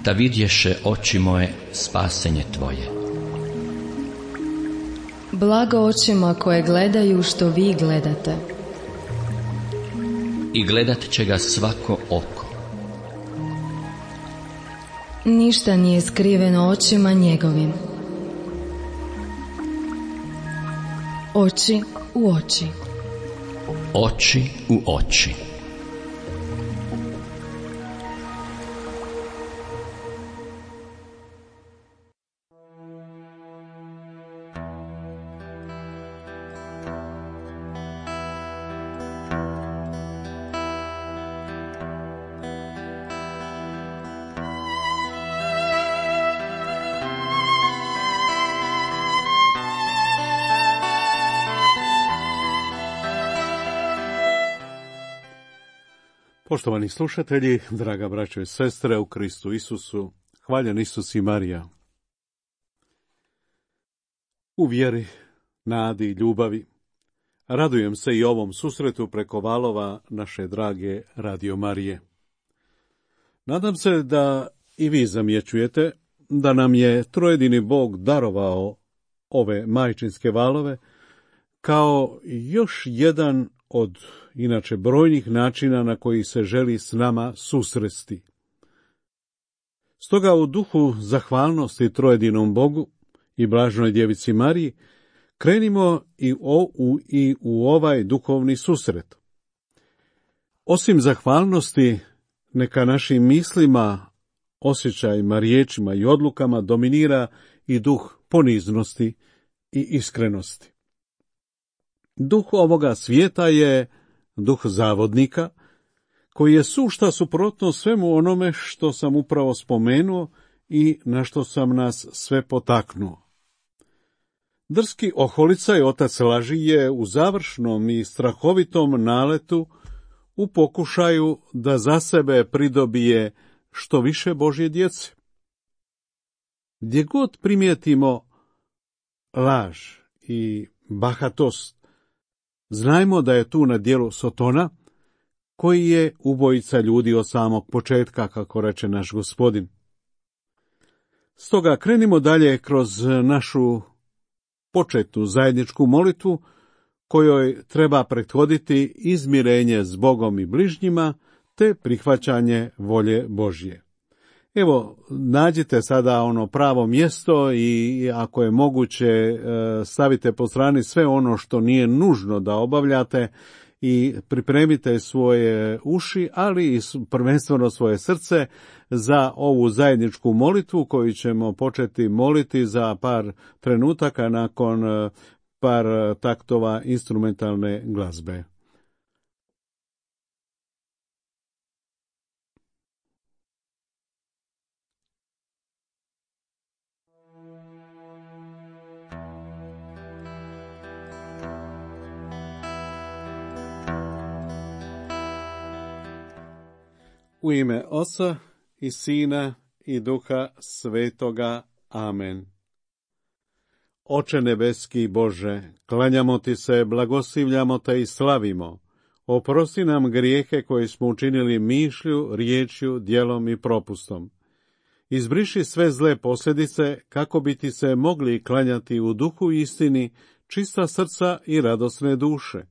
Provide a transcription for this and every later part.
da vidješe oči moje spasenje tvoje. Blago očima koje gledaju što vi gledate. I gledat će ga svako oko. Ništa nije skriveno očima njegovim. Oči u oči. Oči u oči. Poštovani slušatelji, draga braćo i sestre u Kristu Isusu, hvaljen Isus i Marija. U vjeri, nadi i ljubavi, radujem se i ovom susretu preko valova naše drage Radio Marije. Nadam se da i vi zamjećujete da nam je trojedini Bog darovao ove majčinske valove kao još jedan od inače brojnih načina na koji se želi s nama susresti. Stoga u duhu zahvalnosti trojedinom Bogu i blaženoj djevici Mariji krenimo i u ovaj duhovni susret. Osim zahvalnosti, neka našim mislima, osjećajima, riječima i odlukama dominira i duh poniznosti i iskrenosti. Duh ovoga svijeta je duh zavodnika, koji je sušta suprotno svemu onome što sam upravo spomenuo i na što sam nas sve potaknuo. Drski oholica i otac laži je u završnom i strahovitom naletu u pokušaju da za sebe pridobije što više Božje djece. Gdje god primijetimo laž i bahatost, znajmo da je tu na djelu Sotona, koji je ubojica ljudi od samog početka, kako reče naš Gospodin. Stoga krenimo dalje kroz našu početnu zajedničku molitvu, kojoj treba prethoditi izmirenje s Bogom i bližnjima, te prihvaćanje volje Božje. Evo, nađite sada ono pravo mjesto i ako je moguće stavite po strani sve ono što nije nužno da obavljate i pripremite svoje uši, ali i prvenstveno svoje srce za ovu zajedničku molitvu koju ćemo početi moliti za par trenutaka nakon par taktova instrumentalne glazbe. U ime Oca i Sina i Duha Svetoga. Amen. Oče nebeski Bože, klanjamo ti se, blagoslivljamo te i slavimo. Oprosti nam grijehe koje smo učinili mišlju, riječju, djelom i propustom. Izbriši sve zle posljedice kako bi ti se mogli klanjati u duhu i istini, čista srca i radosne duše.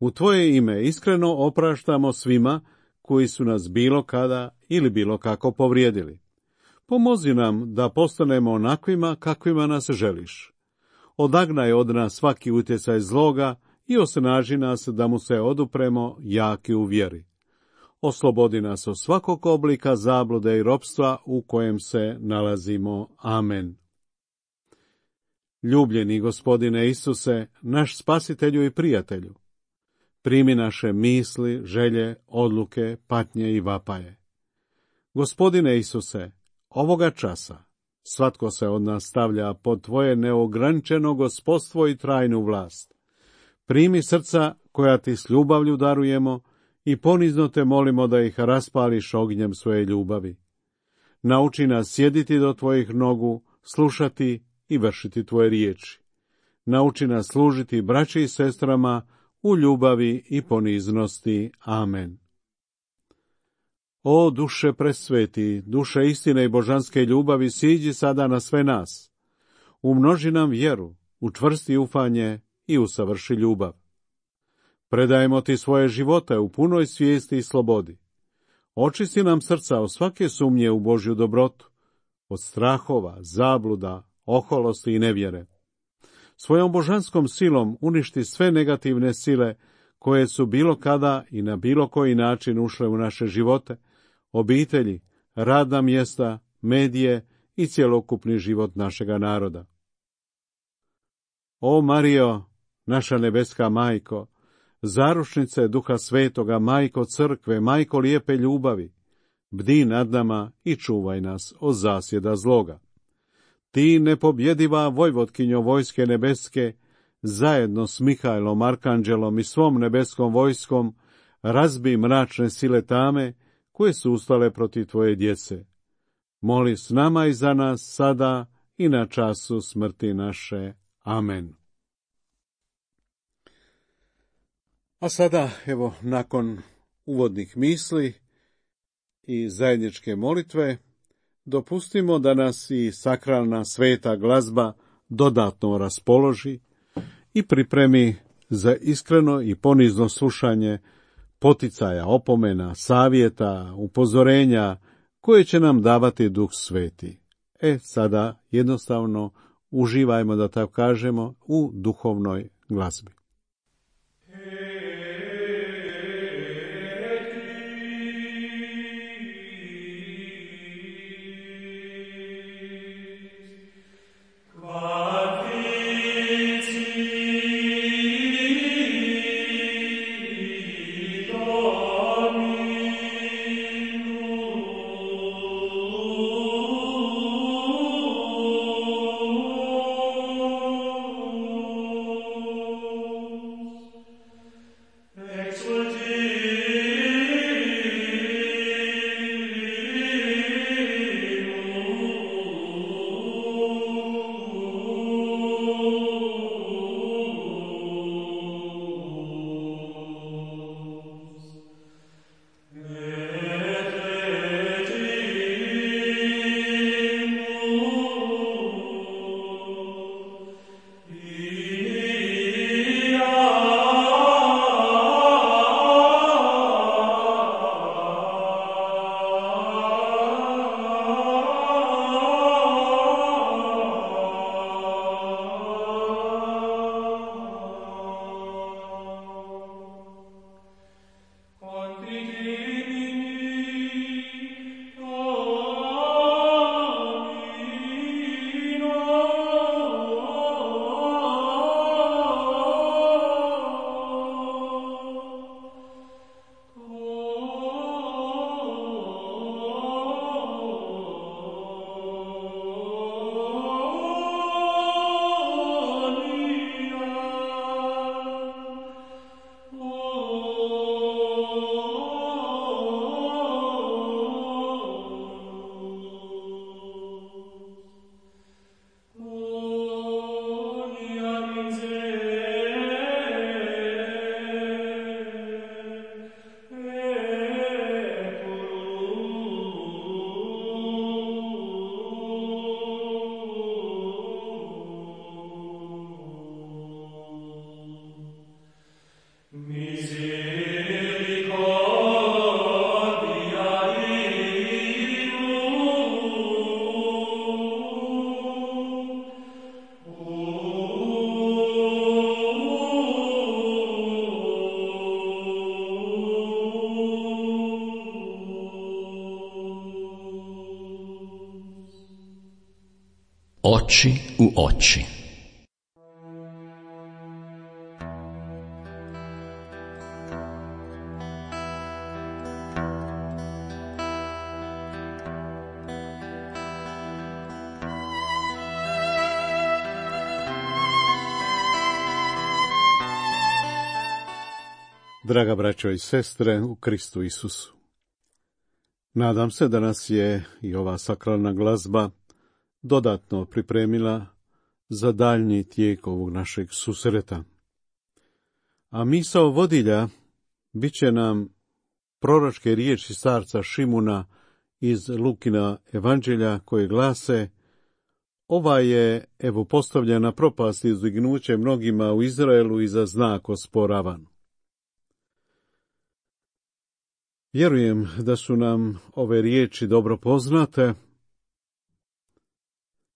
U tvoje ime iskreno opraštamo svima koji su nas bilo kada ili bilo kako povrijedili. Pomozi nam da postanemo onakvima kakvima nas želiš. Odagnaj od nas svaki utjecaj zloga i osnaži nas da mu se odupremo jaki u vjeri. Oslobodi nas od svakog oblika zablude i ropstva u kojem se nalazimo. Amen. Ljubljeni Gospodine Isuse, naš spasitelju i prijatelju, primi naše misli, želje, odluke, patnje i vapaje. Gospodine Isuse, ovoga časa svatko se od nas stavlja pod tvoje neograničeno gospodstvo i trajnu vlast. Primi srca koja ti s ljubavlju darujemo i ponizno te molimo da ih raspališ ognjem svoje ljubavi. Nauči nas sjediti do tvojih nogu, slušati i vršiti tvoje riječi. Nauči nas služiti braći i sestrama u ljubavi i poniznosti. Amen. O duše presveti, duše istine i božanske ljubavi, siđi sada na sve nas. Umnoži nam vjeru, učvrsti ufanje i usavrši ljubav. Predajemo ti svoje živote u punoj svijesti i slobodi. Očisti nam srca od svake sumnje u Božju dobrotu, od strahova, zabluda, oholosti i nevjere. Svojom božanskom silom uništi sve negativne sile koje su bilo kada i na bilo koji način ušle u naše živote, obitelji, radna mjesta, medije i cjelokupni život našega naroda. O Marijo, naša nebeska majko, zaručnice Duha Svetoga, majko crkve, majko lijepe ljubavi, bdi nad nama i čuvaj nas od zasjeda zloga. Ti nepobjediva vojvotkinjo vojske nebeske, zajedno s Mihajlom, Arkanđelom i svom nebeskom vojskom, razbi mračne sile tame koje su ustale protiv tvoje djece. Moli s nama i za nas sada i na času smrti naše. Amen. A sada, evo, nakon uvodnih misli i zajedničke molitve, dopustimo da nas i sakralna sveta glazba dodatno raspoloži i pripremi za iskreno i ponizno slušanje poticaja, opomena, savjeta, upozorenja koje će nam davati Duh Sveti. Sada jednostavno uživajmo, da tako kažemo, u duhovnoj glazbi. Oči u oči. Draga braćo i sestre u Kristu Isusu, nadam se da nas je i ova sakralna glazba dodatno pripremila za daljnji tijek ovog našeg susreta. A misao vodilja bit će nam proročke riječi starca Šimuna iz Lukina evanđelja koje glase: ova je, evo, postavljena propast i uzdignuće mnogima u Izraelu i za znak osporavan. Vjerujem da su nam ove riječi dobro poznate,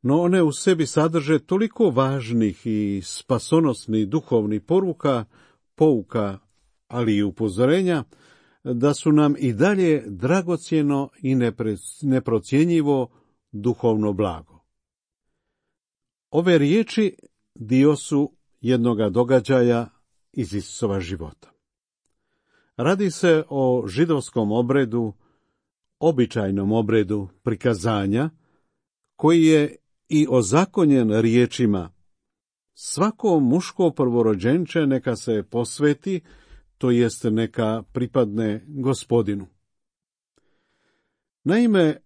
no one u sebi sadrže toliko važnih i spasonosnih duhovnih pouka, ali i upozorenja, da su nam i dalje dragocjeno i neprocjenjivo duhovno blago. Ove riječi dio su jednoga događaja iz Isusova života. Radi se o židovskom obredu, običajnom obredu prikazanja, koji je i ozakonjen riječima: svako muško prvorođenče neka se posveti, to jest neka pripadne Gospodinu. Naime,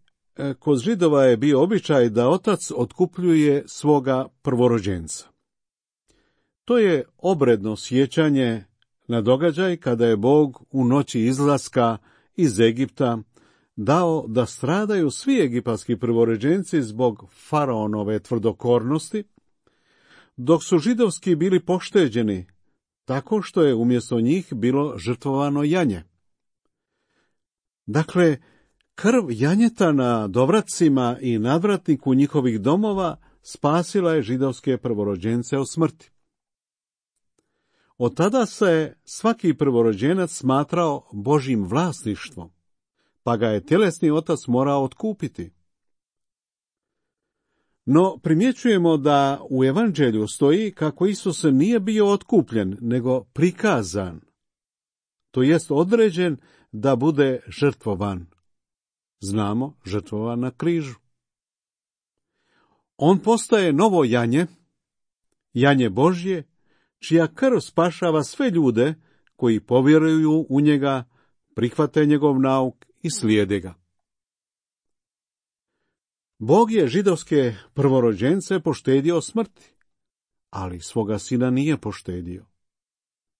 kod Židova je bio običaj da otac otkupljuje svoga prvorođenca. To je obredno sjećanje na događaj kada je Bog u noći izlaska iz Egipta dao da stradaju svi egipatski prvorođenci zbog faraonove tvrdokornosti, dok su židovski bili pošteđeni tako što je umjesto njih bilo žrtvovano janje. Dakle, krv janjeta na dovracima i nadvratniku njihovih domova spasila je židovske prvorođence od smrti. Od tada se svaki prvorođenac smatrao Božjim vlasništvom, pa ga je tjelesni otac morao otkupiti. No, primjećujemo da u evanđelju stoji kako Isus nije bio otkupljen, nego prikazan, to jest određen da bude žrtvovan. Znamo, žrtvovan na križu. On postaje novo janje, janje Božje, čija krv spašava sve ljude koji povjeruju u njega, prihvate njegov nauk i slijede ga. Bog je židovske prvorođence poštedio smrti, ali svoga sina nije poštedio,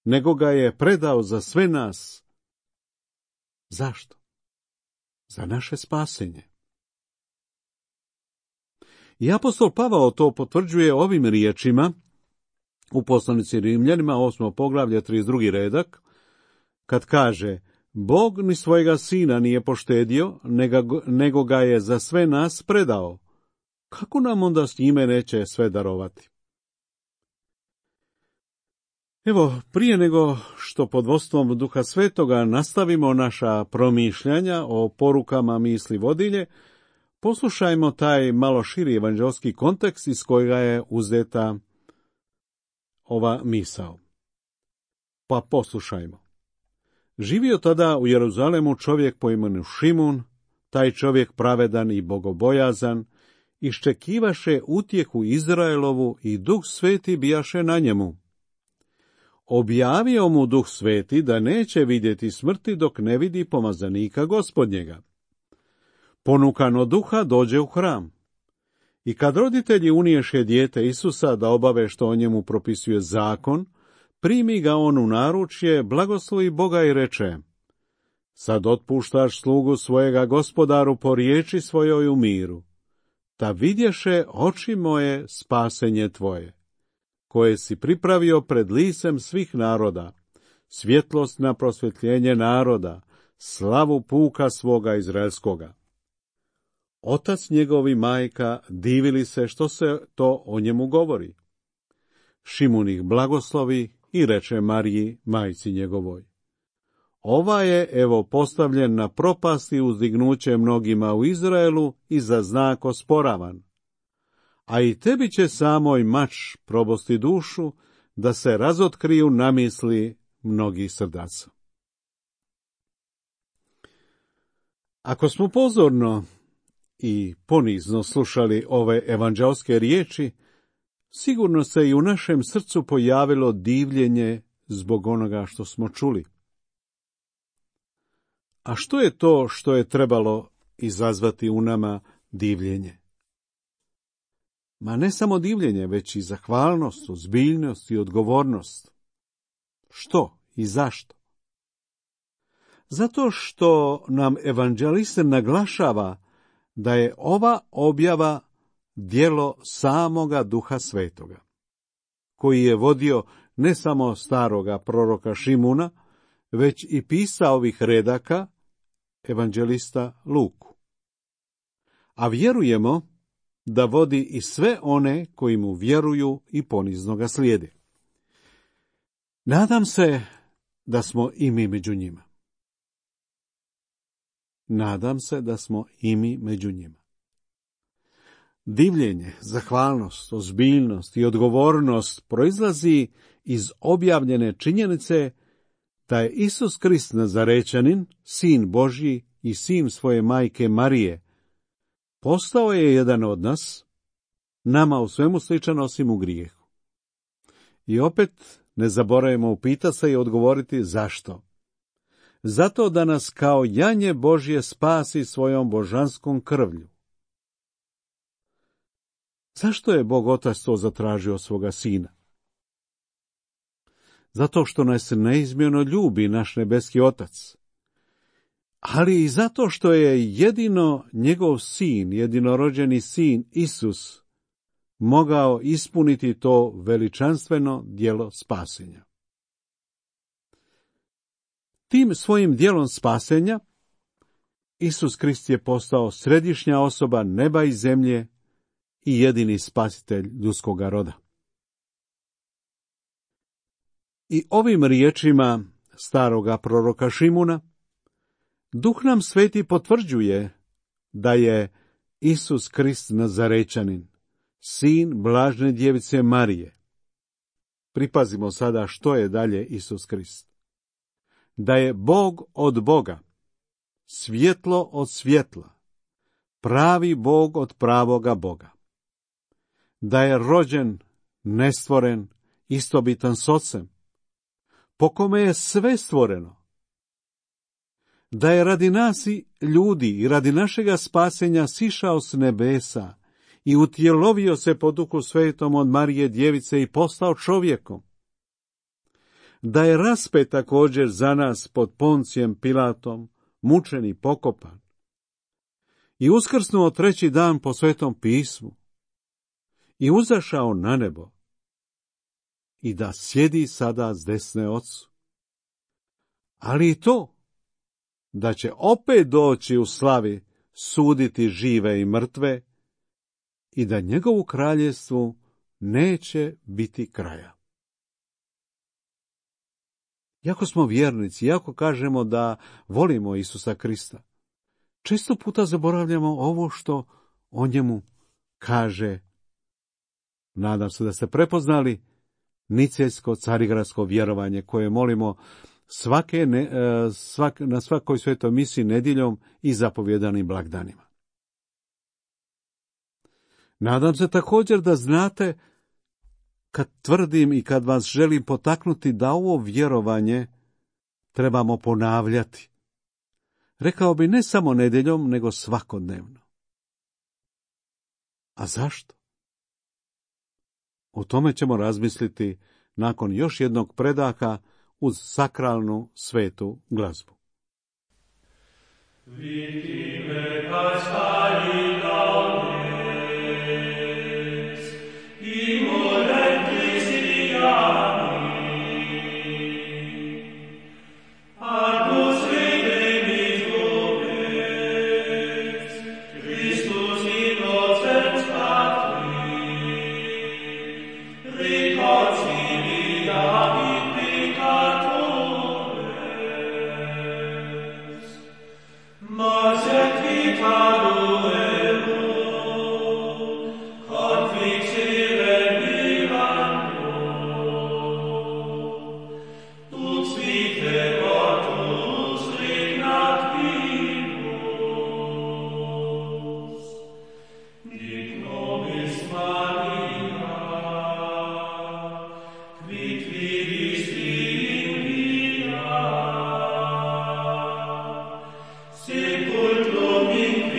nego ga je predao za sve nas. Zašto? Za naše spasenje. I apostol Pavao to potvrđuje ovim riječima u poslanici Rimljanima, 8. poglavlje, 32. redak, kad kaže: Bog ni svojega sina nije poštedio, nego ga je za sve nas predao. Kako nam onda s njime neće sve darovati? Evo, prije nego što pod vodstvom Duha Svetoga nastavimo naša promišljanja o porukama misli vodilje, poslušajmo taj malo širi evanđelski kontekst iz kojega je uzeta ova misao. Pa poslušajmo. Živio tada u Jeruzalemu čovjek po imenu Šimun, taj čovjek pravedan i bogobojazan, iščekivaše utjehu Izraelovu i Duh Sveti bijaše na njemu. Objavio mu Duh Sveti da neće vidjeti smrti dok ne vidi pomazanika Gospodnjega. Ponukan od duha dođe u hram. I kad roditelji uniješe dijete Isusa da obave što o njemu propisuje zakon, primi ga on u naručje, blagoslovi Boga i reče: sad otpuštaš slugu svojega Gospodaru po riječi svojoj u miru. Ta vidješe oči moje spasenje tvoje, koje si pripravio pred licem svih naroda, svjetlost na prosvjetljenje naroda, slavu puka svoga izraelskoga. Otac njegov i majka divili se što se to o njemu govori. Šimun ih blagoslovi i reče Mariji, majci njegovoj: ova je, evo, postavljen na propast i uzdignuće mnogima u Izraelu i za znak osporavan. A i tebi će samoj mač probosti dušu, da se razotkriju namisli mnogih srdaca. Ako smo pozorno i ponizno slušali ove evanđelske riječi, sigurno se i u našem srcu pojavilo divljenje zbog onoga što smo čuli. A što je to što je trebalo izazvati u nama divljenje? Ma ne samo divljenje, već i zahvalnost, ozbiljnost i odgovornost. Što i zašto? Zato što nam evanđelist naglašava da je ova objava djelo samoga Duha Svetoga, koji je vodio ne samo staroga proroka Šimuna, već i pisao ovih redaka evanđelista Luku. A vjerujemo da vodi i sve one koji mu vjeruju i ponizno ga slijede. Nadam se da smo i mi među njima. Nadam se da smo i mi među njima. Divljenje, zahvalnost, ozbiljnost i odgovornost proizlazi iz objavljene činjenice da je Isus Krist Nazarečanin, sin Božji i sin svoje majke Marije, postao je jedan od nas, nama u svemu sličan osim u grijehu. I opet ne zaboravimo upitati se i odgovoriti zašto. Zato da nas kao janje Božje spasi svojom božanskom krvlju. Zašto je Bog Otac to zatražio svoga Sina? Zato što nas neizmjerno ljubi naš nebeski Otac, ali i zato što je jedino njegov sin, jedinorođeni sin Isus, mogao ispuniti to veličanstveno djelo spasenja. Tim svojim djelom spasenja Isus Krist je postao središnja osoba neba i zemlje i jedini spasitelj ljudskoga roda. I ovim riječima staroga proroka Šimuna Duh nam Sveti potvrđuje da je Isus Krist Nazarečanin, sin blažene djevice Marije. Pripazimo sada što je dalje Isus Krist. Da je Bog od Boga, svjetlo od svjetla, pravi Bog od pravoga Boga. Da je rođen, nestvoren, istobitan s Ocem, po kome je sve stvoreno. Da je radi nas i ljudi i radi našega spasenja sišao s nebesa i utjelovio se po Duhu Svetom od Marije djevice i postao čovjekom. Da je raspet također za nas pod Poncijem Pilatom, mučen i pokopan. I uskrsnuo treći dan po Svetom pismu. I uzašao na nebo. I da sjedi sada s desne Ocu. Ali i to, da će opet doći u slavi suditi žive i mrtve i da njegovu kraljevstvu neće biti kraja. Iako smo vjernici, iako kažemo da volimo Isusa Krista, često puta zaboravljamo ovo što o njemu kaže. Nadam se da ste prepoznali nicejsko carigradsko vjerovanje koje molimo na svakoj svetoj misi nedjeljom i zapovjedanim blagdanima. Nadam se također da znate, kad tvrdim i kad vas želim potaknuti da ovo vjerovanje trebamo ponavljati. Rekao bi ne samo nedjeljom, nego svakodnevno. A zašto? O tome ćemo razmisliti nakon još jednog predaha uz sakralnu svetu glazbu. Sepulcrum in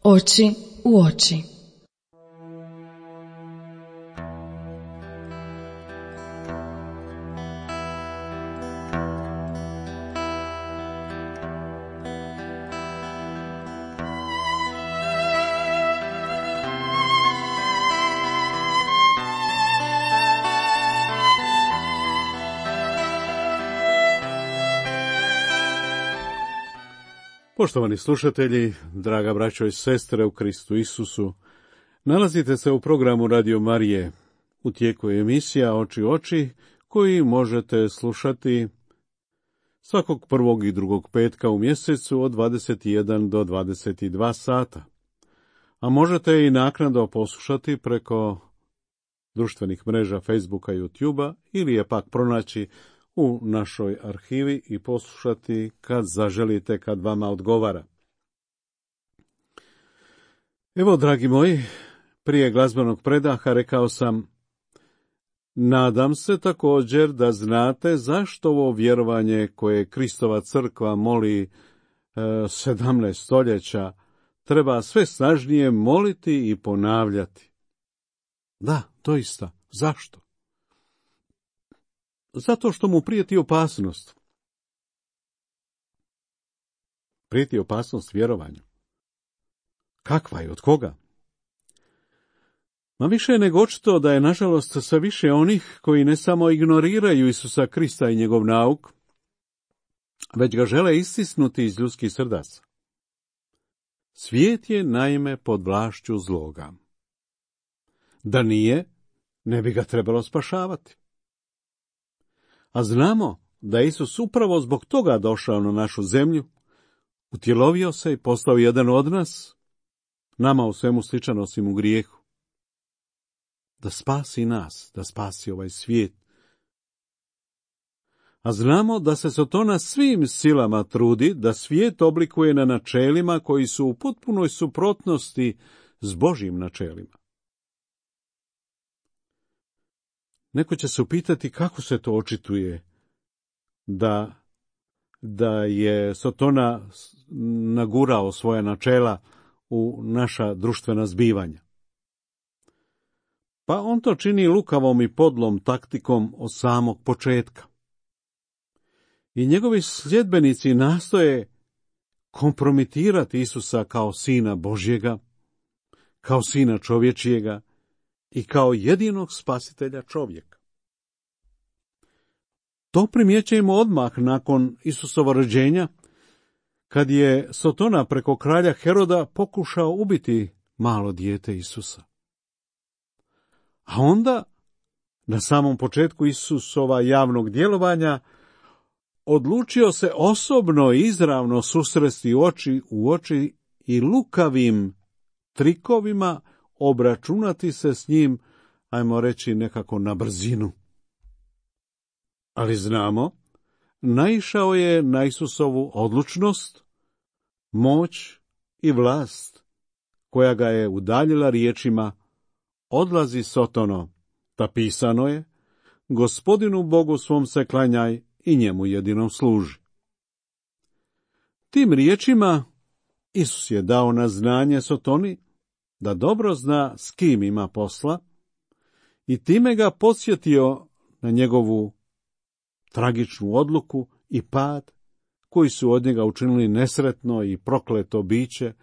Oči u oči. Poštovani slušatelji, draga braćo i sestre u Kristu Isusu, nalazite se u programu Radio Marije. U tijeku je emisija Oči u oči, koji možete slušati svakog prvog i drugog petka u mjesecu od 21 do 22 sata. A možete i naknadno poslušati preko društvenih mreža Facebooka i YouTubea ili je pak pronaći u našoj arhivi i poslušati kad zaželite, kad vama odgovara. Evo, dragi moji, prije glazbenog predaha rekao sam, nadam se također da znate zašto ovo vjerovanje koje Kristova crkva moli 17 stoljeća treba sve snažnije moliti i ponavljati. Da, doista, zašto? Zato što mu prijeti opasnost. Prijeti opasnost vjerovanju. Kakva je, od koga? Ma više je nego očito da je, nažalost, sve više onih koji ne samo ignoriraju Isusa Krista i njegov nauk, već ga žele istisnuti iz ljudskih srdaca. Svijet je naime pod vlašću zloga. Da nije, ne bi ga trebalo spašavati. A znamo da je Isus upravo zbog toga došao na našu zemlju, utjelovio se i postao jedan od nas, nama u svemu sličan osim u grijehu. Da spasi nas, da spasi ovaj svijet. A znamo da se Sotona svim silama trudi da svijet oblikuje na načelima koji su u potpunoj suprotnosti s Božjim načelima. Neko će se upitati kako se to očituje da je Sotona nagurao svoja načela u naša društvena zbivanja. Pa on to čini lukavom i podlom taktikom od samog početka. I njegovi sljedbenici nastoje kompromitirati Isusa kao sina Božjega, kao sina čovječijega i kao jedinog spasitelja čovjeka. To primjećujemo odmah nakon Isusova rođenja, kad je Sotona preko kralja Heroda pokušao ubiti malo dijete Isusa. A onda, na samom početku Isusova javnog djelovanja, odlučio se osobno i izravno susresti oči u oči i lukavim trikovima obračunati se s njim, ajmo reći nekako na brzinu. Ali znamo, naišao je na Isusovu odlučnost, moć i vlast, koja ga je udaljila riječima: odlazi Sotono, ta pisano je, Gospodinu Bogu svom se klanjaj i njemu jedinom služi. Tim riječima Isus je dao na znanje Sotoni da dobro zna s kim ima posla i time ga podsjetio na njegovu tragičnu odluku i pad koji su od njega učinili nesretno i prokleto biće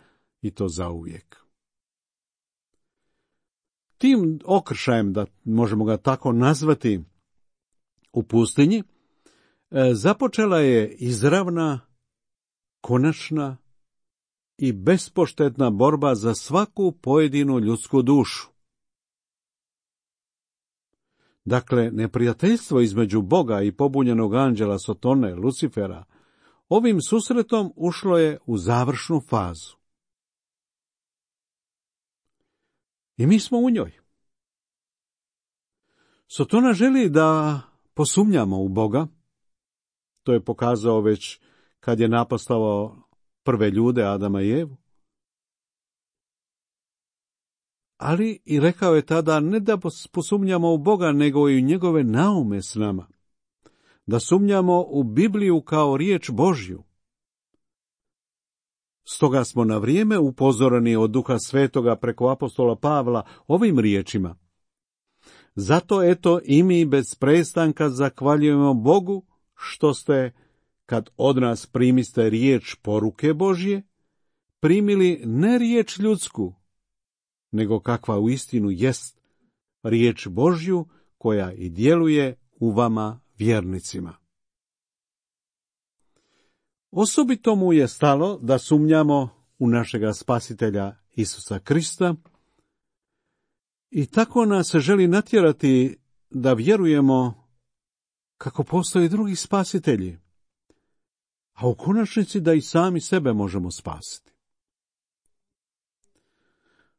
i to zauvijek. Tim okršajem, da možemo ga tako nazvati, u pustinji, započela je izravna, konačna i bespoštetna borba za svaku pojedinu ljudsku dušu. Dakle, neprijateljstvo između Boga i pobunjenog anđela Sotone, Lucifera, ovim susretom ušlo je u završnu fazu. I mi smo u njoj. Sotona želi da posumnjamo u Boga. To je pokazao već kad je naposlavao prve ljude, Adama i Evu. Ali i rekao je tada ne da posumnjamo u Boga, nego i u njegove naume s nama. Da sumnjamo u Bibliju kao riječ Božju. Stoga smo na vrijeme upozoreni od Duha Svetoga preko apostola Pavla ovim riječima. Zato eto i mi bez prestanka zahvaljujemo Bogu što ste, kad od nas primiste riječ poruke Božje, primili ne riječ ljudsku, nego kakva uistinu jest, riječ Božju koja i djeluje u vama vjernicima. Osobito mu je stalo da sumnjamo u našega Spasitelja Isusa Krista i tako nas želi natjerati da vjerujemo kako postoje drugi spasitelji, a u konačnici da i sami sebe možemo spasiti.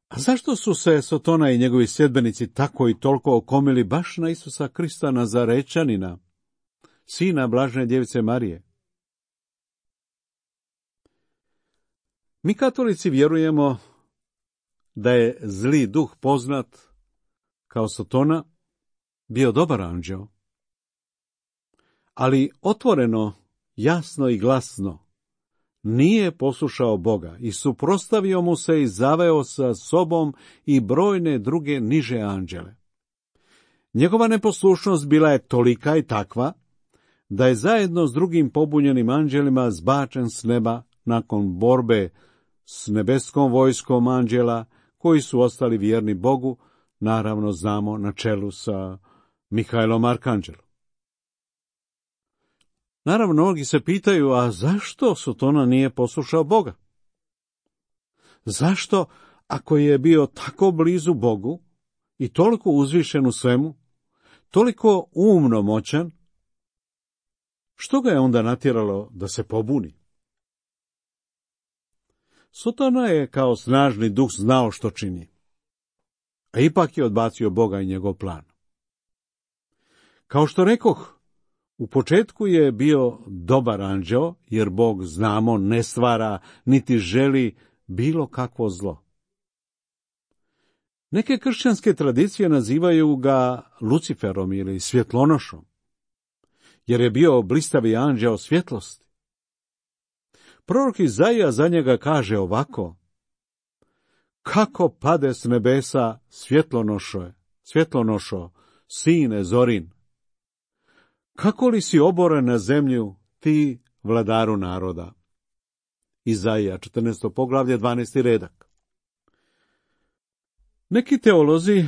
A zašto su se Sotona i njegovi sljedbenici tako i toliko okomili baš na Isusa Krista Nazarečanina, sina Blažene djevice Marije? Mi katolici vjerujemo da je zli duh poznat kao Sotona bio dobar anđeo, ali otvoreno, jasno i glasno nije poslušao Boga i suprotstavio mu se i zaveo sa sobom i brojne druge niže anđele. Njegova neposlušnost bila je tolika i takva da je zajedno s drugim pobunjenim anđelima zbačen s neba nakon borbe s nebeskom vojskom anđela koji su ostali vjerni Bogu, naravno znamo na čelu sa Mihajlom Arkanđelom. Naravno, mnogi se pitaju, a zašto Sotona nije poslušao Boga? Zašto, ako je bio tako blizu Bogu i toliko uzvišen u svemu, toliko umno moćan, što ga je onda natjeralo da se pobuni? Sotona je kao snažni duh znao što čini, a ipak je odbacio Boga i njegov plan. Kao što rekoh, u početku je bio dobar anđeo, jer Bog, znamo, ne stvara niti želi bilo kakvo zlo. Neke kršćanske tradicije nazivaju ga Luciferom ili svjetlonošom, jer je bio blistavi anđeo svjetlosti. Prorok Izaija za njega kaže ovako: kako pade s nebesa svjetlonošo, sine Zorin, kako li si oboren na zemlju, ti vladaru naroda. Izaija 14. poglavlje 12. redak. Neki teolozi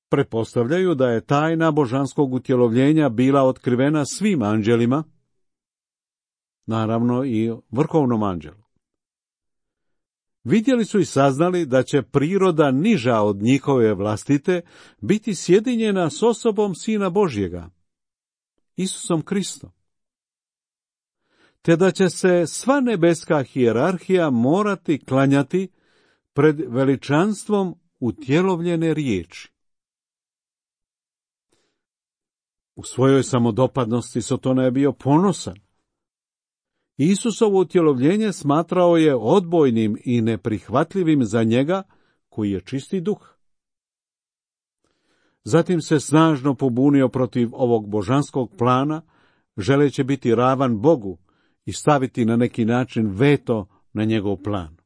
pretpostavljaju da je tajna božanskog utjelovljenja bila otkrivena svim anđelima, naravno i vrhovnom anđelu. Vidjeli su i saznali da će priroda niža od njihove vlastite biti sjedinjena s osobom Sina Božjega, Isusom Kristom, te da će se sva nebeska hijerarhija morati klanjati pred veličanstvom utjelovljene riječi. U svojoj samodopadnosti Sotona je bio ponosan. Isusovo utjelovljenje smatrao je odbojnim i neprihvatljivim za njega koji je čisti duh. Zatim se snažno pobunio protiv ovog božanskog plana, želeći biti ravan Bogu i staviti na neki način veto na njegov plan.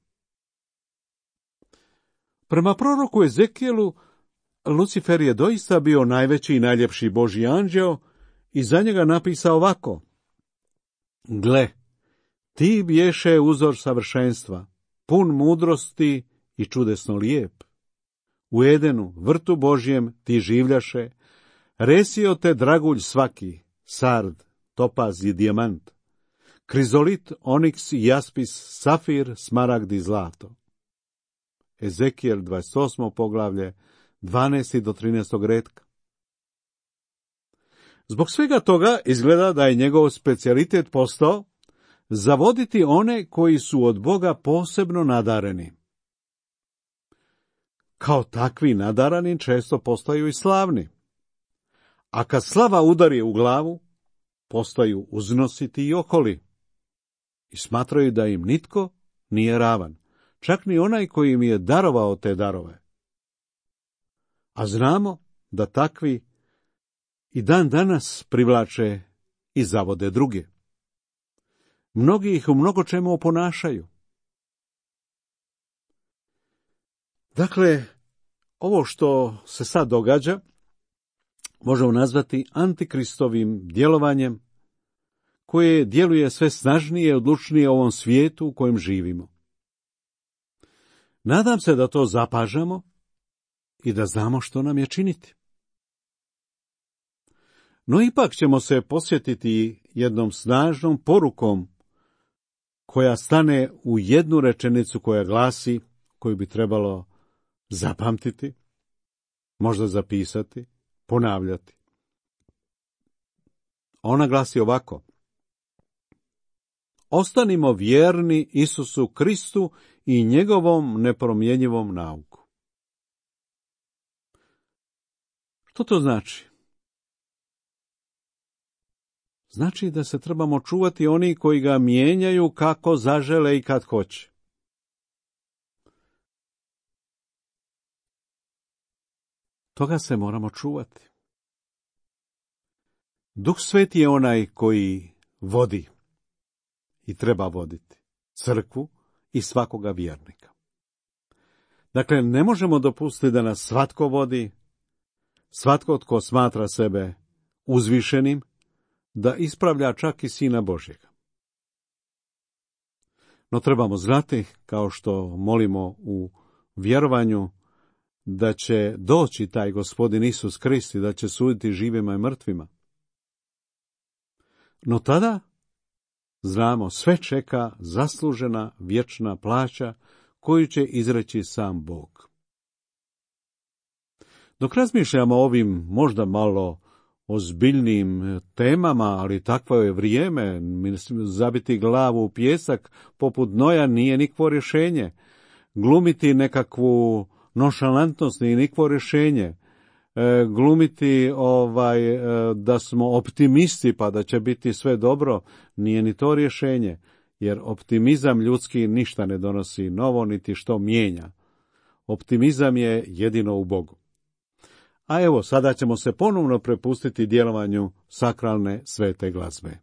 Prema proroku Ezekijelu, Lucifer je doista bio najveći i najljepši Božji anđeo i za njega napisao ovako: gle, ti bješe uzor savršenstva, pun mudrosti i čudesno lijep. U Edenu, vrtu Božjem, ti življaše, resio te dragulj svaki, sard, topaz i dijamant, krizolit, oniks, jaspis, safir, smaragd i zlato. Ezekijel 28. poglavlje, 12. do 13. retka. Zbog svega toga izgleda da je njegov specijalitet postao zavoditi one koji su od Boga posebno nadareni. Kao takvi nadarani često postaju i slavni. A kad slava udari u glavu, postaju uznositi i okoli. I smatraju da im nitko nije ravan, čak ni onaj koji im je darovao te darove. A znamo da takvi i dan danas privlače i zavode druge. Mnogi ih u mnogo čemu oponašaju. Dakle, ovo što se sad događa možemo nazvati antikristovim djelovanjem koje djeluje sve snažnije i odlučnije u ovom svijetu u kojem živimo. Nadam se da to zapažamo i da znamo što nam je činiti. No ipak ćemo se posjetiti jednom snažnom porukom koja stane u jednu rečenicu koja glasi, koju bi trebalo zapamtiti, možda zapisati, ponavljati. Ona glasi ovako: ostanimo vjerni Isusu Kristu i njegovom nepromjenjivom nauku. Što to znači? Znači da se trebamo čuvati oni koji ga mijenjaju kako zažele i kad hoće. Toga se moramo čuvati. Duh Sveti je onaj koji vodi i treba voditi crkvu i svakoga vjernika. Dakle, ne možemo dopustiti da nas svatko vodi, svatko tko smatra sebe uzvišenim, da ispravlja čak i Sina Božjega. No trebamo znati, kao što molimo u vjerovanju, da će doći taj Gospodin Isus Krist i da će suditi živima i mrtvima. No tada, znamo, sve čeka zaslužena vječna plaća koju će izreći sam Bog. Dok razmišljamo o ovim možda malo ozbiljnim temama, ali takvo je vrijeme, zabiti glavu u pijesak poput Noja nije nikakvo rješenje. Glumiti nekakvu nonšalantnost nije nikakvo rješenje. Glumiti da smo optimisti pa da će biti sve dobro nije ni to rješenje, jer optimizam ljudski ništa ne donosi novo niti što mijenja. Optimizam je jedino u Bogu. A evo, sada ćemo se ponovno prepustiti djelovanju sakralne svete glazbe.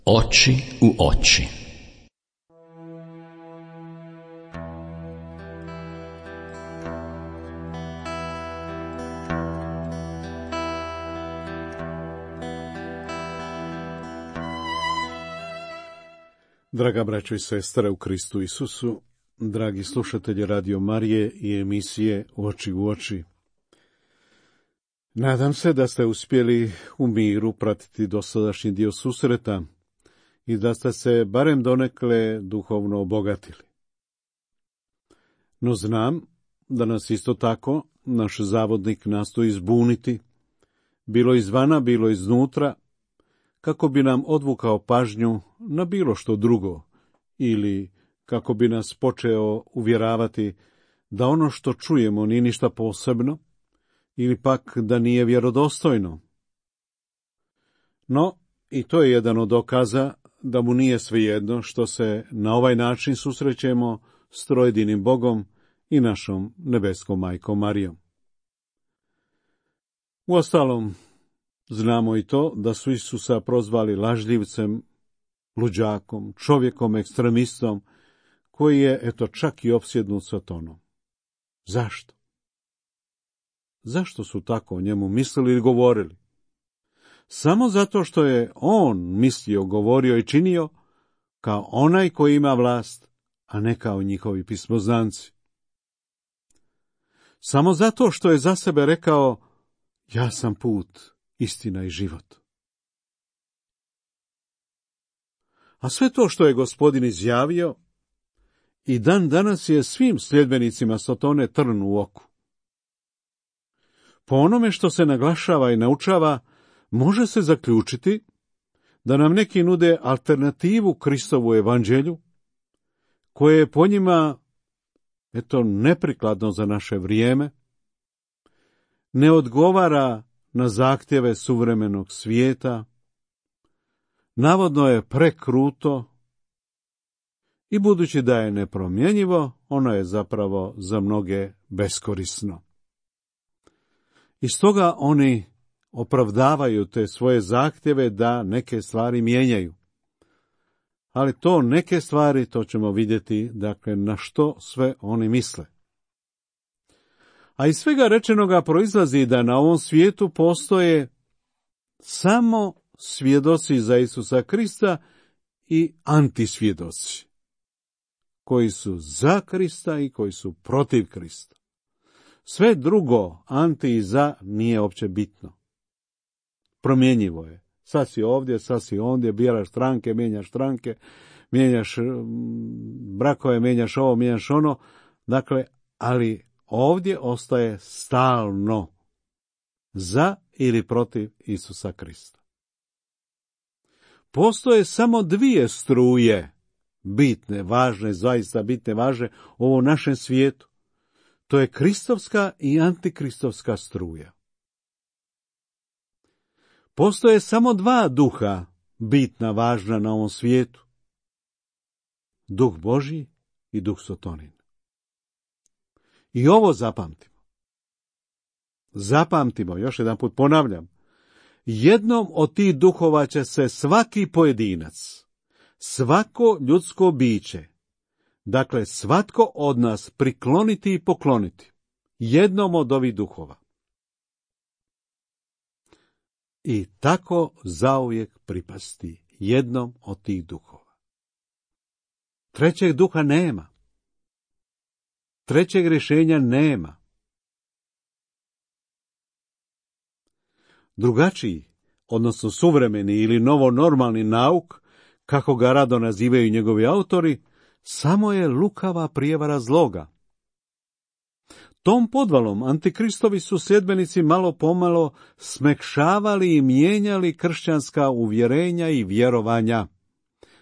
Oči u oči. Draga braćo i sestre u Kristu Isusu, dragi slušatelji Radio Marije i emisije Oči u oči. Nadam se da ste uspjeli u miru pratiti dosadašnji dio susreta i da ste se barem donekle duhovno obogatili. No znam da nas isto tako naš zavodnik nastoji zbuniti, bilo izvana, bilo iznutra, kako bi nam odvukao pažnju na bilo što drugo ili kako bi nas počeo uvjeravati da ono što čujemo nije ništa posebno ili pak da nije vjerodostojno. No, i to je jedan od dokaza da mu nije svejedno što se na ovaj način susrećemo s trojedinim Bogom i našom nebeskom majkom Marijom. Uostalom, znamo i to da su Isusa prozvali lažljivcem, luđakom, čovjekom, ekstremistom, koji je, eto, čak i opsjednut satanom. Zašto? Zašto su tako o njemu mislili i govorili? Samo zato što je on mislio, govorio i činio kao onaj koji ima vlast, a ne kao njihovi pismoznanci. Samo zato što je za sebe rekao: ja sam put, istina i život. A sve to što je Gospodin izjavio i dan danas je svim sljedbenicima Sotone trn u oku. Po onome što se naglašava i naučava, može se zaključiti da nam neki nude alternativu Kristovu evanđelju, koje je po njima, eto, neprikladno za naše vrijeme, ne odgovara na zahtjeve suvremenog svijeta, navodno je prekruto i budući da je nepromjenjivo, ono je zapravo za mnoge beskorisno. I stoga oni opravdavaju te svoje zahtjeve da neke stvari mijenjaju. Ali to neke stvari, to ćemo vidjeti, dakle, na što sve oni misle. A iz svega rečenoga proizlazi da na ovom svijetu postoje samo svjedoci za Isusa Krista i antisvjedoci, koji su za Krista i koji su protiv Krista. Sve drugo, anti i za, nije uopće bitno. Promjenjivo je. Sad si ovdje, sad si ondje, biraš stranke, mijenjaš brakove, mijenjaš ovo, mijenjaš ono. Dakle, ali ovdje ostaje stalno za ili protiv Isusa Krista. Postoje samo dvije struje, bitne, važne, zaista bitne, važne u ovom našem svijetu. To je kristovska i antikristovska struja. Postoje samo dva duha, bitna, važna na ovom svijetu. Duh Božji i duh Sotonin. I ovo zapamtimo. Zapamtimo, još jedan put ponavljam. Jednom od tih duhova će se svaki pojedinac, svako ljudsko biće, dakle svatko od nas prikloniti i pokloniti jednom od ovih duhova. I tako zauvijek pripasti jednom od tih duhova. Trećeg duha nema. Trećeg rješenja nema. Drugačiji, odnosno suvremeni ili novonormalni nauk, kako ga rado nazivaju njegovi autori, samo je lukava prijevara zloga. Tom podvalom antikristovi su sljedbenici malo pomalo smekšavali i mijenjali kršćanska uvjerenja i vjerovanja,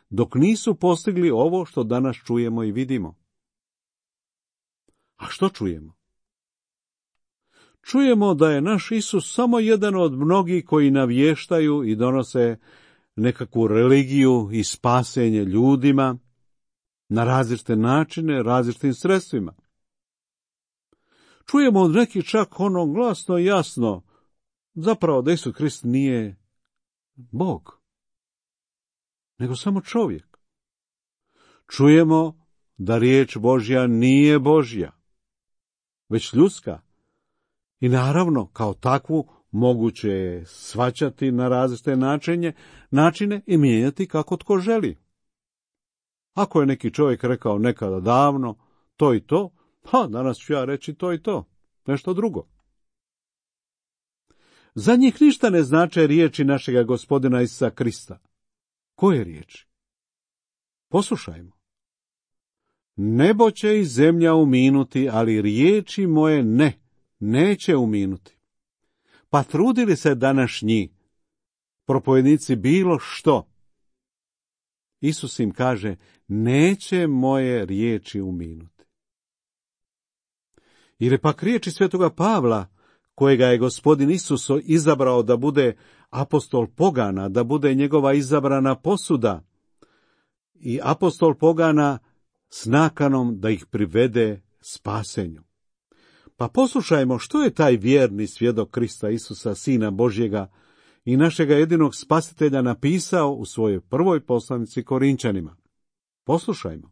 dok nisu postigli ovo što danas čujemo i vidimo. A što čujemo? Čujemo da je naš Isus samo jedan od mnogih koji navještaju i donose nekakvu religiju i spasenje ljudima na različite načine, različitim sredstvima. Čujemo od nekih čak ono glasno i jasno, zapravo da Isus Krist nije Bog, nego samo čovjek. Čujemo da riječ Božja nije Božja, već ljudska. I naravno, kao takvu, moguće je shvaćati na različite načine i mijenjati kako tko želi. Ako je neki čovjek rekao nekada davno to i to, pa danas ću ja reći to i to, nešto drugo. Za njih ništa ne znače riječi našega Gospodina Isusa Krista. Koje riječi? Poslušajmo. Nebo će i zemlja uminuti, ali riječi moje neće uminuti. Pa trudili se današnji propovednici bilo što. Isus im kaže, neće moje riječi uminuti. Ili pak riječi svetoga Pavla, kojega je Gospodin Isus izabrao da bude apostol pogana, da bude njegova izabrana posuda, i apostol pogana s nakanom da ih privede spasenju. Pa poslušajmo što je taj vjerni svjedok Krista Isusa, Sina Božjega i našega jedinog spasitelja, napisao u svojoj prvoj poslanici Korinčanima. Poslušajmo.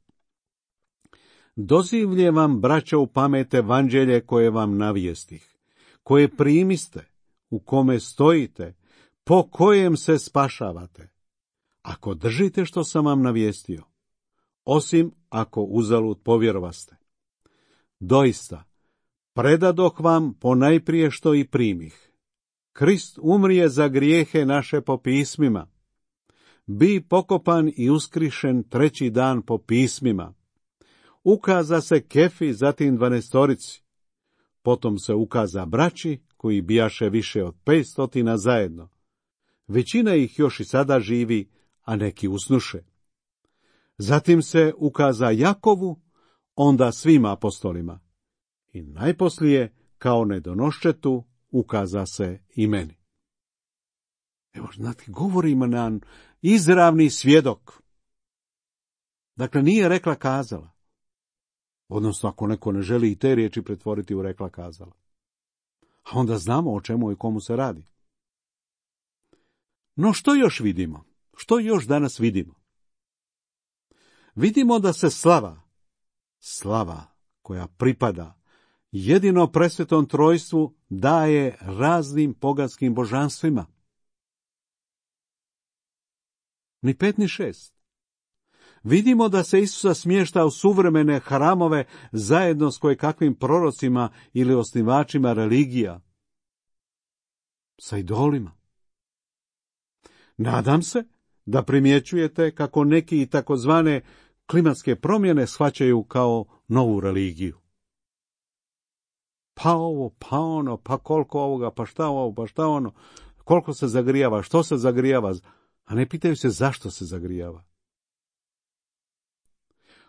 Dozivlje vam, braćo, u pamet evanđelje koje vam navijestih, koje primiste, u kome stojite, po kojem se spašavate, ako držite što sam vam navijestio, osim ako uzalud povjerovaste. Doista, predadoh vam ponajprije što i primih. Krist umrije za grijehe naše po pismima, bi pokopan i uskrišen treći dan po pismima. Ukaza se Kefi, zatim 12, potom se ukaza braći, koji bijaše više od 500 zajedno. Većina ih još i sada živi, a neki usnuše. Zatim se ukaza Jakovu, onda svim apostolima. I najposlije, kao nedonoščetu, ukaza se i meni. Evo, znate, govorimo nam izravni svjedok. Dakle, nije rekla kazala. Odnosno, ako neko ne želi i te riječi pretvoriti u rekla kazala. A onda znamo o čemu i komu se radi. No što još vidimo? Što još danas vidimo? Vidimo da se slava koja pripada jedino presvetom trojstvu, daje raznim poganskim božanstvima. Ni 5 ni 6. Vidimo da se Isusa smješta u suvremene hramove zajedno s kojekakvim prorocima ili osnivačima religija, sa idolima. Nadam se da primjećujete kako neki takozvane klimatske promjene shvaćaju kao novu religiju. Pa ovo, pa ono, pa koliko ovoga, pa šta ovo, pa šta ono, koliko se zagrijava, što se zagrijava, a ne pitaju se zašto se zagrijava.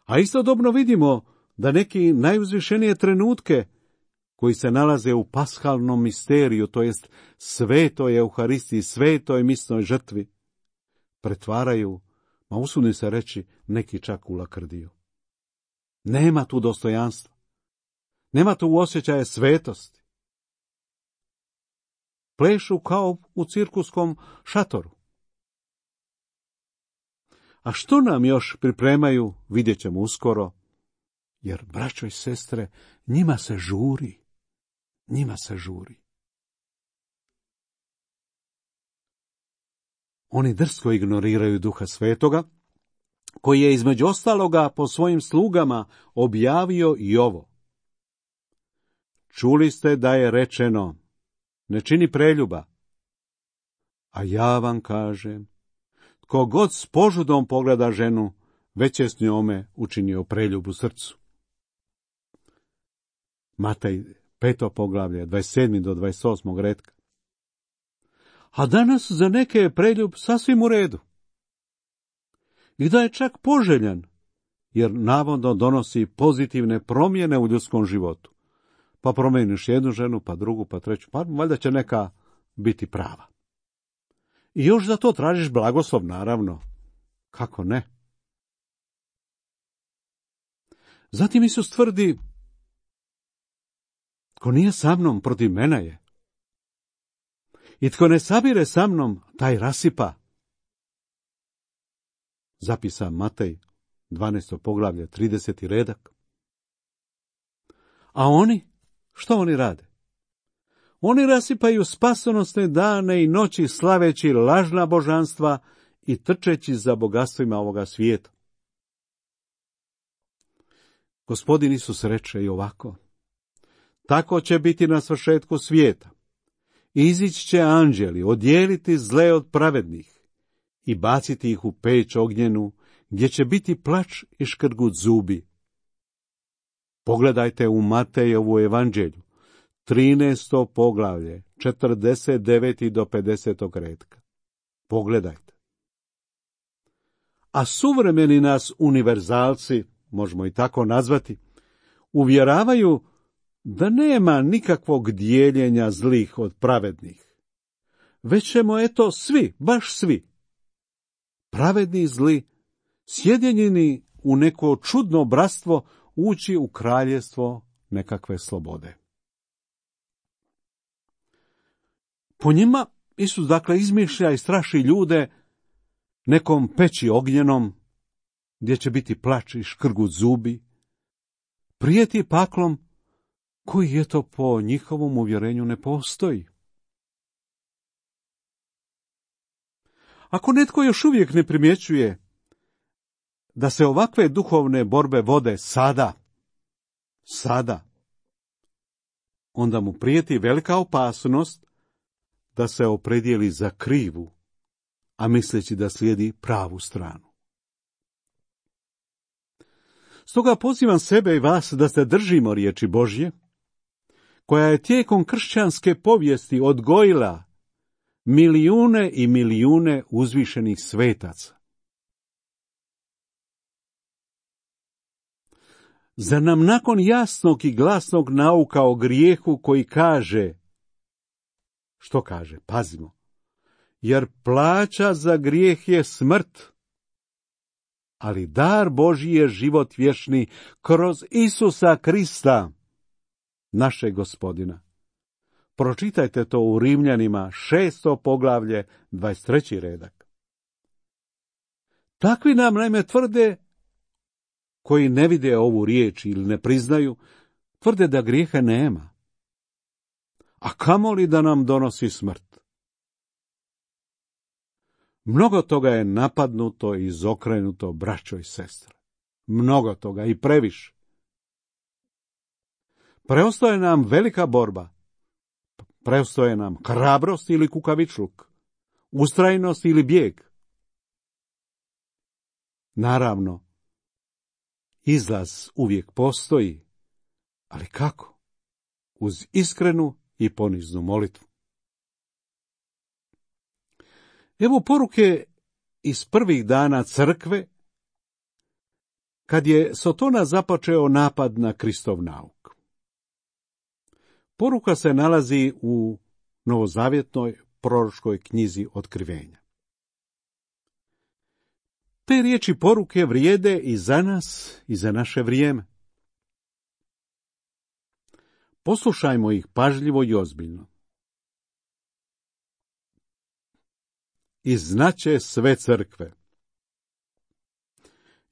A istodobno vidimo da neki najuzvišenije trenutke koji se nalaze u pashalnom misteriju, to jest svetoj Euharistiji, svetoj misnoj žrtvi, pretvaraju, ma usudim se reći, neki čak u lakrdiju. Nema tu dostojanstva. Nema tu osjećaja svetosti. Plešu kao u cirkuskom šatoru. A što nam još pripremaju, vidjet ćemo uskoro, jer, braćo i sestre, njima se žuri. Njima se žuri. Oni drsko ignoriraju Duha Svetoga, koji je između ostaloga po svojim slugama objavio i ovo. Čuli ste da je rečeno, ne čini preljuba. A ja vam kažem, tko god s požudom pogleda ženu, već je s njome učinio preljub u srcu. Matej 5. poglavlje, 27. do 28. retka. A danas za neke je preljub sasvim u redu. I da je čak poželjan, jer navodno donosi pozitivne promjene u ljudskom životu. Pa promijeniš jednu ženu, pa drugu, pa treću, pa valjda će neka biti prava. I još za to tražiš blagoslov, naravno. Kako ne? Zatim Isus tvrdi, tko nije sa mnom, protiv mene je. I tko ne sabire sa mnom, taj rasipa. Zapisa Matej, 12. poglavlje, 30. redak. A oni, što oni rade? Oni rasipaju spasonosne dane i noći slaveći lažna božanstva i trčeći za bogatstvima ovoga svijeta. Gospodin Isus reče i ovako: tako će biti na svršetku svijeta. Izići će anđeli, odijeliti zle od pravednih i baciti ih u peć ognjenu, gdje će biti plač i škrgut zubi. Pogledajte u Matejevu evanđelju, 13. poglavlje, 49. do 50. retka. Pogledajte. A suvremeni nas univerzalci, možemo i tako nazvati, uvjeravaju da nema nikakvog dijeljenja zlih od pravednih. Već ćemo, eto, svi, baš svi, pravedni i zli, sjedinjeni u neko čudno bratstvo, ući u kraljevstvo nekakve slobode. Po njima Isus dakle izmišlja i straši ljude nekom peći ognjenom, gdje će biti plač i škrgut zubi, prijeti paklom koji eto po njihovom uvjerenju ne postoji. Ako netko još uvijek ne primjećuje da se ovakve duhovne borbe vode sada, onda mu prijeti velika opasnost da se opredijeli za krivu, a misleći da slijedi pravu stranu. Stoga pozivam sebe i vas da se držimo riječi Božje, koja je tijekom kršćanske povijesti odgojila milijune i milijune uzvišenih svetaca. Zar nam nakon jasnog i glasnog nauka o grijehu koji kaže, što kaže, pazimo, jer plaća za grijeh je smrt, ali dar Božji je život vječni kroz Isusa Krista, našeg Gospodina. Pročitajte to u Rimljanima 6. poglavlje 23. redak. Takvi nam naime tvrde, koji ne vide ovu riječ ili ne priznaju, tvrde da grijeha nema. A kamoli da nam donosi smrt. Mnogo toga je napadnuto i izokrenuto, braćo i sestre. Mnogo toga i previše. Preostaje nam velika borba. Preostaje nam hrabrost ili kukavičluk, ustrajnost ili bijeg. Naravno, izlaz uvijek postoji, ali kako? Uz iskrenu i poniznu molitvu. Evo poruke iz prvih dana crkve, kad je Sotona započeo napad na Kristov nauk. Poruka se nalazi u novozavjetnoj proročkoj knjizi Otkrivenja. Te riječi poruke vrijede i za nas i za naše vrijeme. Poslušajmo ih pažljivo i ozbiljno. I znaće sve crkve.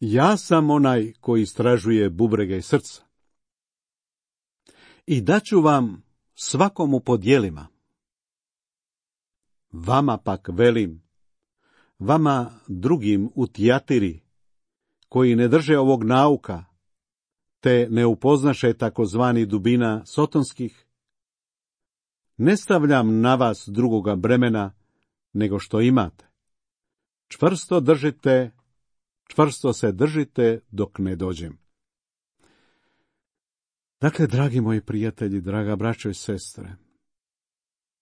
Ja sam onaj koji istražuje bubrege i srca. I daću vam svakomu po djelima. Vama pak velim, vama drugim u Tijatiri, koji ne drže ovog nauka, te ne upoznaše takozvani dubina sotonskih, ne stavljam na vas drugoga bremena nego što imate. Čvrsto se držite dok ne dođem. Dakle, dragi moji prijatelji, draga braćo i sestre,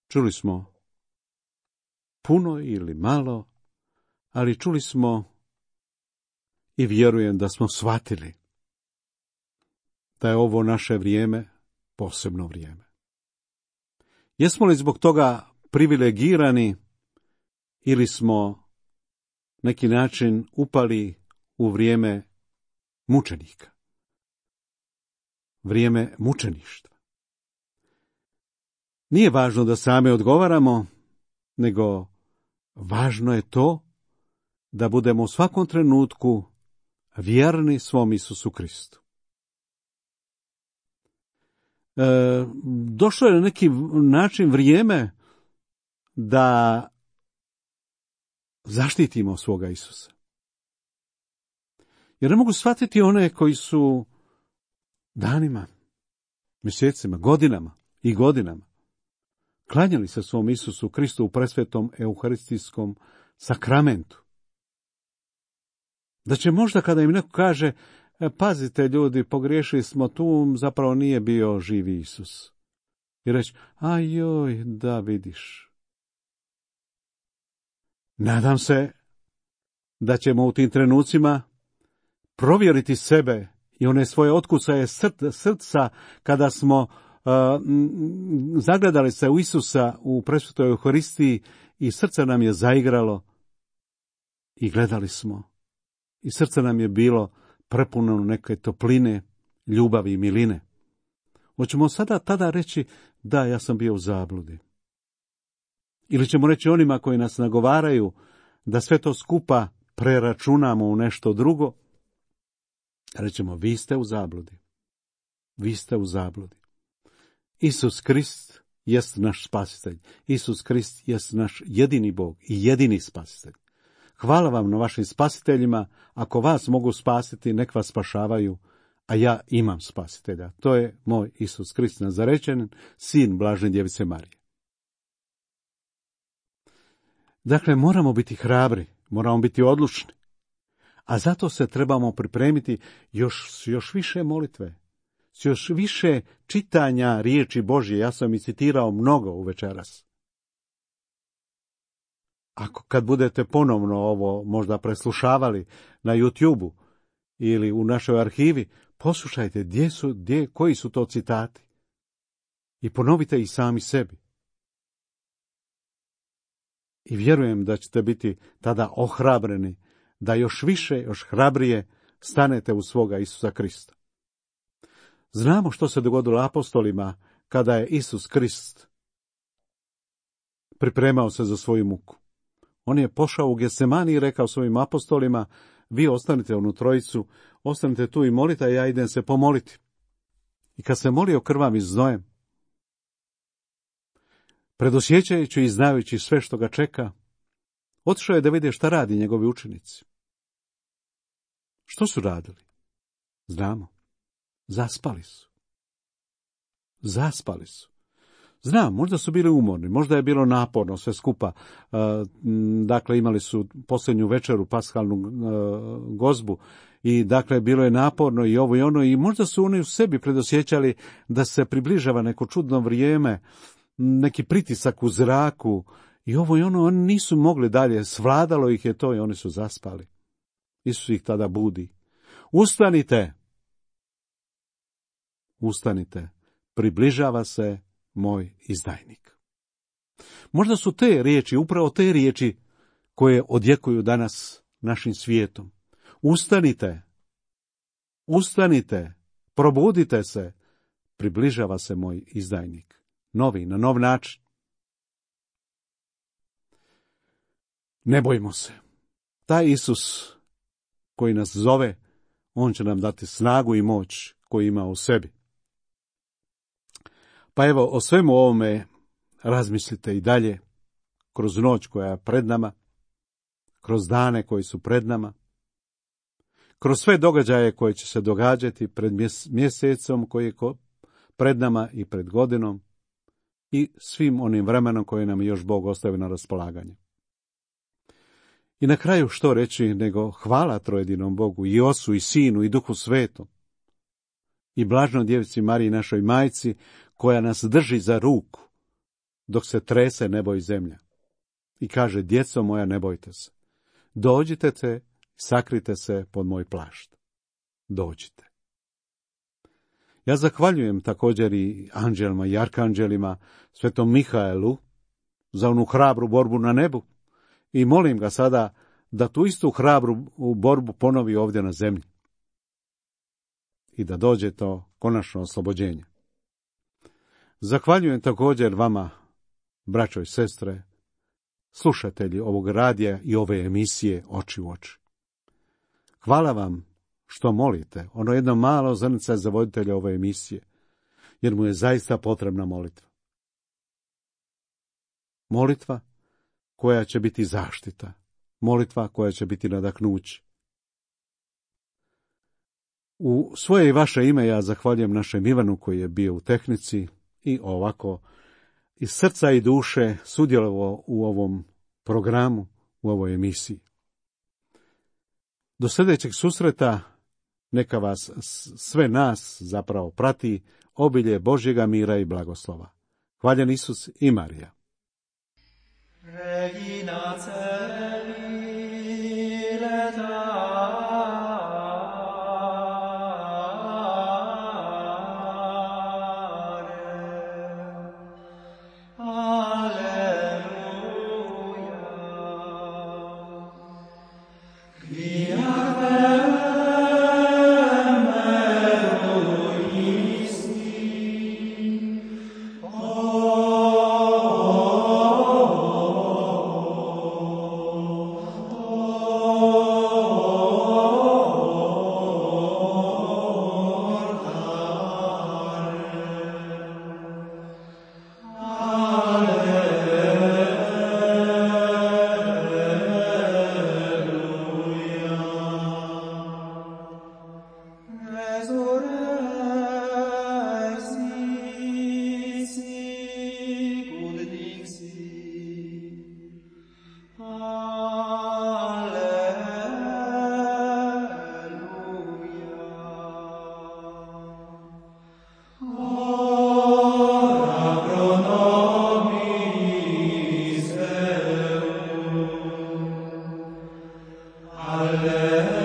čuli smo puno ili malo, ali čuli smo i vjerujem da smo shvatili da je ovo naše vrijeme posebno vrijeme. Jesmo li zbog toga privilegirani ili smo neki način upali u vrijeme mučenika? Vrijeme mučeništva. Nije važno da sami odgovaramo, nego važno je to da budemo u svakom trenutku vjerni svom Isusu Kristu. Došlo je na neki način vrijeme da zaštitimo svoga Isusa. Jer ne mogu shvatiti one koji su danima, mjesecima, godinama i godinama klanjali se svom Isusu Kristu u presvetom euharistijskom sakramentu. Da će možda kada im neko kaže, pazite ljudi, pogriješili smo tu, zapravo nije bio živi Isus. I reći, ajoj, da vidiš. Nadam se da ćemo u tim trenucima provjeriti sebe i one svoje otkusaje srca kada smo zagledali se u Isusa u presvetoj Euharistiji i srce nam je zaigralo i gledali smo. I srce nam je bilo prepuno neke topline, ljubavi i miline. Hoćemo sada tada reći, da, ja sam bio u zabludi. Ili ćemo reći onima koji nas nagovaraju da sve to skupa preračunamo u nešto drugo, rećemo, vi ste u zabludi. Vi ste u zabludi. Isus Krist jest naš spasitelj. Isus Krist jest naš jedini Bog i jedini spasitelj. Hvala vam na vašim spasiteljima. Ako vas mogu spasiti, nek vas spašavaju, a ja imam spasitelja. To je moj Isus Krist Nazarečanin, sin Blažene Djevice Marije. Dakle, moramo biti hrabri, moramo biti odlučni, a zato se trebamo pripremiti još više molitve, još više čitanja riječi Božje. Ja sam i citirao mnogo u večeras. Kad budete ponovno ovo možda preslušavali na YouTube-u ili u našoj arhivi, poslušajte koji su to citati i ponovite ih sami sebi. I vjerujem da ćete biti tada ohrabreni, da još više, još hrabrije stanete u svoga Isusa Krista. Znamo što se dogodilo apostolima kada je Isus Krist pripremao se za svoju muku. On je pošao u Getsemani i rekao svojim apostolima, vi ostanite onu trojicu, ostanite tu i molite, a ja idem se pomoliti. I kad se molio krvavim i znojem, predosjećajući i znajući sve što ga čeka, otišao je da vide šta radi njegovi učenici. Što su radili? Znamo. Zaspali su. Zaspali su. Znam, možda su bili umorni, možda je bilo naporno sve skupa. Dakle, imali su posljednju večeru, paskalnu gozbu, i dakle, bilo je naporno i ovo i ono, i možda su oni u sebi predosjećali da se približava neko čudno vrijeme, neki pritisak u zraku, i ovo i ono, oni nisu mogli dalje, svladalo ih je to i oni su zaspali. Isus ih tada budi. Ustanite! Ustanite, približava se moj izdajnik. Možda su te riječi, upravo te riječi koje odjekuju danas našim svijetom. Ustanite, ustanite, probudite se, približava se moj izdajnik. Novi, na nov način. Ne bojmo se. Taj Isus koji nas zove, on će nam dati snagu i moć koju ima u sebi. Pa evo, o svemu ovome razmislite i dalje, kroz noć koja je pred nama, kroz dane koji su pred nama, kroz sve događaje koje će se događati pred mjesecom koji je pred nama i pred godinom i svim onim vremenom koje nam još Bog ostavi na raspolaganje. I na kraju što reći nego hvala trojedinom Bogu, i Ocu i Sinu i Duhu Svetom, i Blaženoj Djevici Mariji, našoj majci, koja nas drži za ruku dok se trese nebo i zemlja. I kaže, djeco moja, ne bojte se. Dođite te, sakrite se pod moj plašt. Dođite. Ja zahvaljujem također i anđelima i arkanđelima, svetom Mihaelu, za onu hrabru borbu na nebu, i molim ga sada da tu istu hrabru borbu ponovi ovdje na zemlji i da dođe to konačno oslobođenje. Zahvaljujem također vama, braćo i sestre, slušatelji ovog radija i ove emisije Oči u oči. Hvala vam što molite, ono jedno malo zrnce za voditelja ove emisije, jer mu je zaista potrebna molitva. Molitva koja će biti zaštita, molitva koja će biti nadahnuće. U svoje i vaše ime ja zahvaljujem našem Ivanu koji je bio u tehnici i ovako iz srca i duše sudjelovao u ovom programu, u ovoj emisiji. Do sljedećeg susreta neka vas sve nas zapravo prati obilje Božjega mira i blagoslova. Hvaljen Isus i Marija. Regina Alleluia.